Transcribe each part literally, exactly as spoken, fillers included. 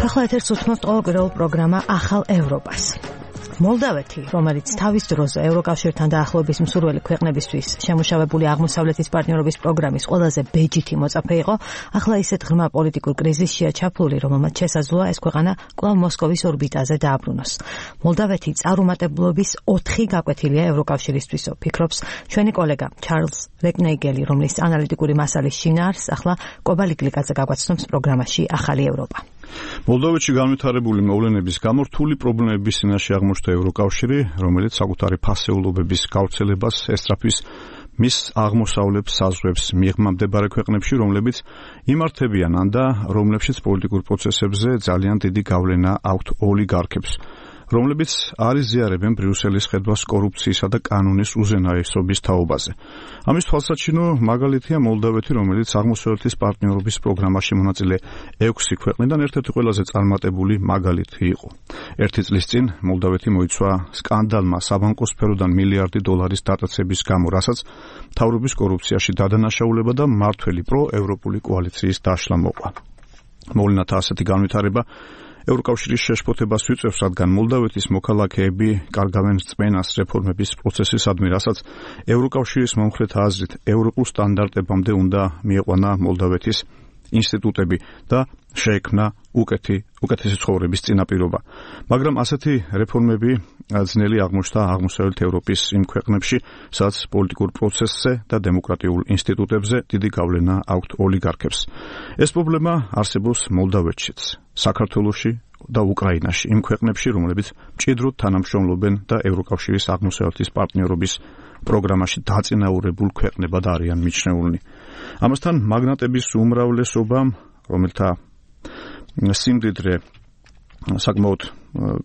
ახლა ეთერს უსმენთ ყოველკვირეულ პროგრამა ახალ ევროპას. მოლდავეთი, რომელიც თავის დროზე ევროკავშირთან დაახლოების მსურველი ქვეყნებისთვის შემუშავებული აღმოსავლეთის პარტნიორობის პროგრამის ყველაზე ბეჯითი მოწაფე იყო, ახლა ისეთ ღრმა პოლიტიკურ კრიზისშია ჩაფლული, რომელმაც შესაძლოა ეს ქვეყანა კვლავ მოსკოვის ორბიტაზე დააბრუნოს. მოლდავეთი წარუმატებლობის ოთხი გაკვეთილია ევროკავშირისთვისო, ფიქრობს ჩვენი კოლეგა ჩარლზ რეკნეიგელი, რომლის ანალიტიკური მასალის შინაარსს ახლა კობალიკლიკაძე გაგვაცნობს პროგრამაში ახალი ევროპა. მოლდოვეთში განვითარებული მოვლენების გამო რთული პრობლემების წინაშე აღმოჩნდა ევროკავშირი, რომელიც საკუთარი ფასეულობების გავრცელებას ესწრაფვის მის აღმოსავლეთ საზღვრებს მიღმამდე ქვეყნებში, რომლებიც იმართებიან ან და რომლებშიც პოლიტიკურ პროცესებზე ძალიან დიდი გავლენა აქვთ ოლიგარქებს, რომლებიც არ იზიარებენ ბრიუსელის ხედვას კორუფციისა და კანონის უზენაესობის თაობაზე. ამის თვალსაჩინო მაგალითია მოლდავეთი, რომელიც აღმოსავლეთის პარტნიორობის პროგრამაში მონაწილე ექვსი ქვეყნიდან ერთ-ერთი ყველაზე წარმატებული მაგალითი იყო. ერთი წლის წინ მოლდავეთი მოიცვა სკანდალმა საბანკო სფეროდან მილიარდი დოლარის დატაცების გამო, რასაც მთავრობის კორუფციაში დადანაშაულება და მმართველი პროევროპული კოალიციის დაშლა მოყვა. მოვლენათა ასეთი განვითარება ევროკავშირის შეშფოთებას ვიწევს, რადგან მოლდავეთის მოქალაქეები კარგავენ რწმენას რეფორმების პროცესისადმი, რასაც ევროკავშირის მომხრეთა აზრით ევროპულ სტანდარტებამდე უნდა მieყვანა მოლდავეთის ინსტიტუტები და შეექმნა უკეთი უკეთესი ცხოვრების წინაპირობა. მაგრამ ასეთი რეფორმები ძნელი აღმოჩნდა აღმოსავლეთ ევროპის იმ ქვეყნებში, სადაც პოლიტიკურ პროცესზე და დემოკრატიულ ინსტიტუტებზე დიდი გავლენა აქვთ ოლიგარქებს. ეს პრობლემა არსებობს მოლდავეთშიც, საქართველოში და უკრაინაში, იმ ქვეყნებში, რომლებიც მჭიდროდ თანამშრომლობენ და ევროკავშირის აღმოსავლეთის პარტნიორობის პროგრამაში დაწინაურებულ ქვეყნებად არიან მიჩნეულნი. ამასთან მაგნატების უმრავლესობამ, რომელთა სიმდიდრე საკმაოდ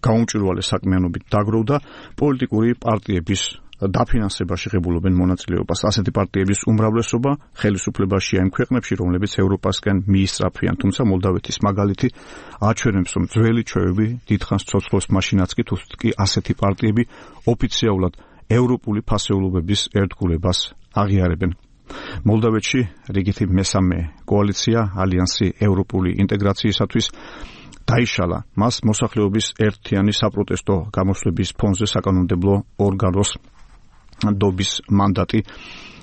გაუმჭვირვალე საქმიანობით დაგროვდა, პოლიტიკური პარტიების დაფინანსებაში ღებულობენ მონაწილეობას. ასეთი პარტიების უმრავლესობა ხელისუფლებაშია იმ ქვეყნებში, რომლებიც ევროპასკენ მიისწრაფვიან, თუმცა მოლდავეთის მაგალითი აჩვენებს, რომ ძველი ჩვევები დიდხანს ცოცხლობს, მაშინაც კი თუ კი ასეთი პარტიები ოფიციალურად ევროპული ფასეულობების ერთგულებას აღიარებენ. მოლდავეთში რიგითი მესამე კოალიცია ალიანსი ევროპული ინტეგრაციისათვის დაიშალა. მას მოსახლეობის ერთიანი საპროტესტო გამოსვლების ფონზე საკანონმდებლო ორგანოს დობის მანდატი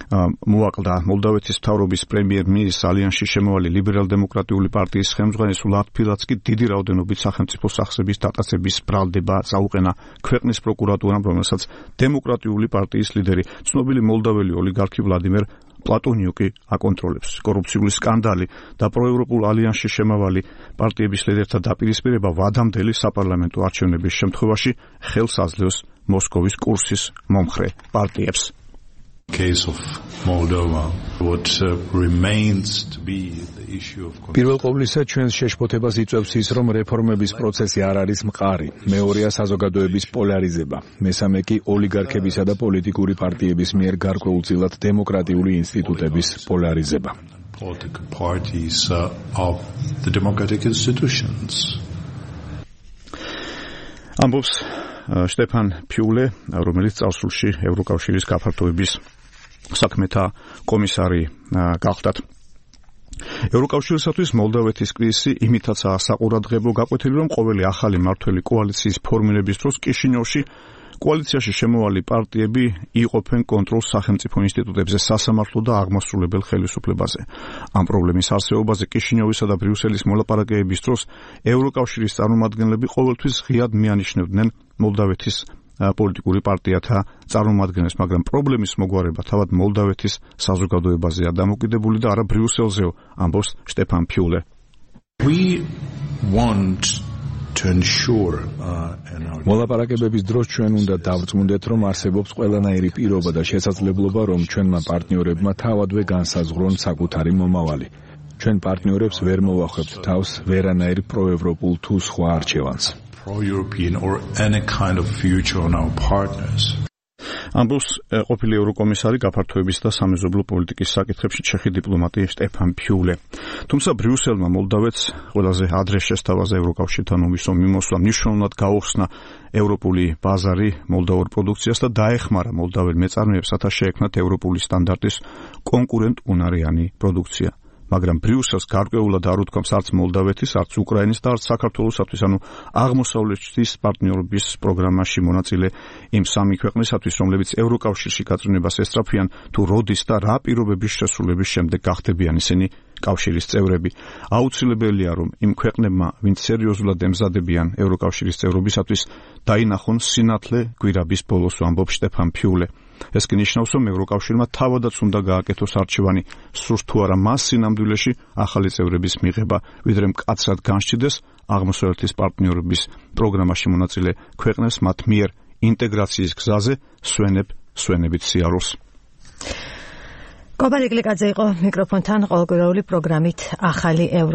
მოაკლდა. მოლდავეთის მთავრობის პრემიერ-მინისტრს ალიანსში შემოვალი ლიბერალ-დემოკრატიული პარტიის ხელმძღვანელი ლატფილაცკი დიდი რაოდენობით სახელმწიფო სახსრების დატაცების ბრალდება წაუყენა ქვეყნის პროკურატურამ, რომელსაც დემოკრატიული პარტიის ლიდერი, ცნობილი მოლდაველი ოლიგარქი ვლადიმერ პლატონიუკი აკონტროლებს. კორუფციული სკანდალი და პროევროპულ ალიანსში შემავალი პარტიების ლიდერთა დაპირისპირება ვადამდელი საპარლამენტო არჩევნების შემთხვევაში ხელს აძლევს მოსკოვის კურსის მომხრე პარტიებს. პირველ ყოვლისა ჩვენს შეშფოთებას იწვევს ის, რომ რეფორმების პროცესი არ არის მყარი. მეორეა საზოგადოების პოლარიზება. მესამე კი ოლიგარქებისა და პოლიტიკური პარტიების მიერ გარკვეულწილად დემოკრატიული ინსტიტუტების პოლარიზება. ამბობს შტეფან ფიულე, რომელიც წარსულში ევროკავშირის გაფართოების საქმეთა კომისარი გახდათ. ევროკავშირისათვის მოლდავეთის კრიზისი იმითაცაა საყურადღებო გაკვეთილი, რომ ყოველი ახალი მმართველი კოალიციის ფორმირების დროს კიშინიოვში კოალიციაში შემოვალი პარტიები იყოფენ კონტროლს სახელმწიფო ინსტიტუტებზე, სასამართლო და აღმასრულებელ ხელისუფლებაზე. ამ პრობლემის არსებობაზე კიშინიოვისა და ბრიუსელის მოლაპარაკებების დროს ევროკავშირის წარმომადგენლები ყოველთვის ღიად მიანიშნებდნენ მოლდავეთის პოლიტიკური პარტიათა წარმომადგენლებს, მაგრამ პრობლემის მოგვარება თავად მოლდავეთის საზოგადოებაზეა დამოკიდებული და არა ბრიუსელზეო, ამბობს შტეფან ფიულე. We want მოლაპარაკებების დროს ჩვენ უნდა დავწმუნდეთ, რომ არსებობს ყველანაირი პირობა და შესაძლებლობა, რომ ჩვენმა პარტნიორებმა თავადვე განსაზღვრონ საკუთარი მომავალი. ჩვენ პარტნიორებს ვერ მოვახვებთ თავს ვერანაირ პროევროპულ თუ სხვა არჩევანს. pro-European or any kind of future on our partners. ამბობს ყოფილი ევროკომისარი გაფართოების და სამეზობლო პოლიტიკის საკითხებში ჩეხი დიპლომატი შტეფან ფიულე. თუმცა ბრიუსელმა მოლდავეთს ყველაზე ადრე შესთავაზა ევროკავშირთან ომისო მიმოსვლა, მნიშვნელოვნად გაუხსნა ევროპული ბაზარი მოლდავურ პროდუქციას და დაეხმარა მოლდაველ მეწარმეებს, რათა შეექმნათ ევროპული სტანდარტის კონკურენტუნარიანი პროდუქცია. მაგრამ ბრიუსელს გარკვეულად არ უთქვამს არც მოლდავეთის, არც უკრაინის და არც საქართველოსთვის, ანუ აღმოსავლეთის პარტნიორობის პროგრამაში მონაწილე იმ სამი ქვეყნისათვის, რომლებიც ევროკავშირში გაწვრთნებას ესწრაფიან, თუ როდის და რა პირობების შესრულების შემდეგ გახდებიან ისინი კავშირის წევრები. აუცილებელია, რომ იმ ქვეყნებმა, ვინც სერიოზულად ემზადებიან ევროკავშირის წევრობისათვის, დაინახონ სინათლე გვირაბის ბოლოს, ამბობს შტეფან ფიულე. ეს კი ნიშნავს, რომ ევროკავშირმა თავადაც უნდა გააკეთოს არჩევანი, სურს თუ არა მას სინამდვილეში ახალი წევრების მიღება, ვიდრე მკაცრად განსჭიდეს აღმოსავლეთის პარტნიორობის პროგრამაში მონაწილე ქვეყნებს მათ მიერ ინტეგრაციის გზაზე სვენებ სვენებით სიარულს. კობალიკლიკაძე იყო მიკროფონთან ყოველკვირეული პროგრამით ახალი ევრო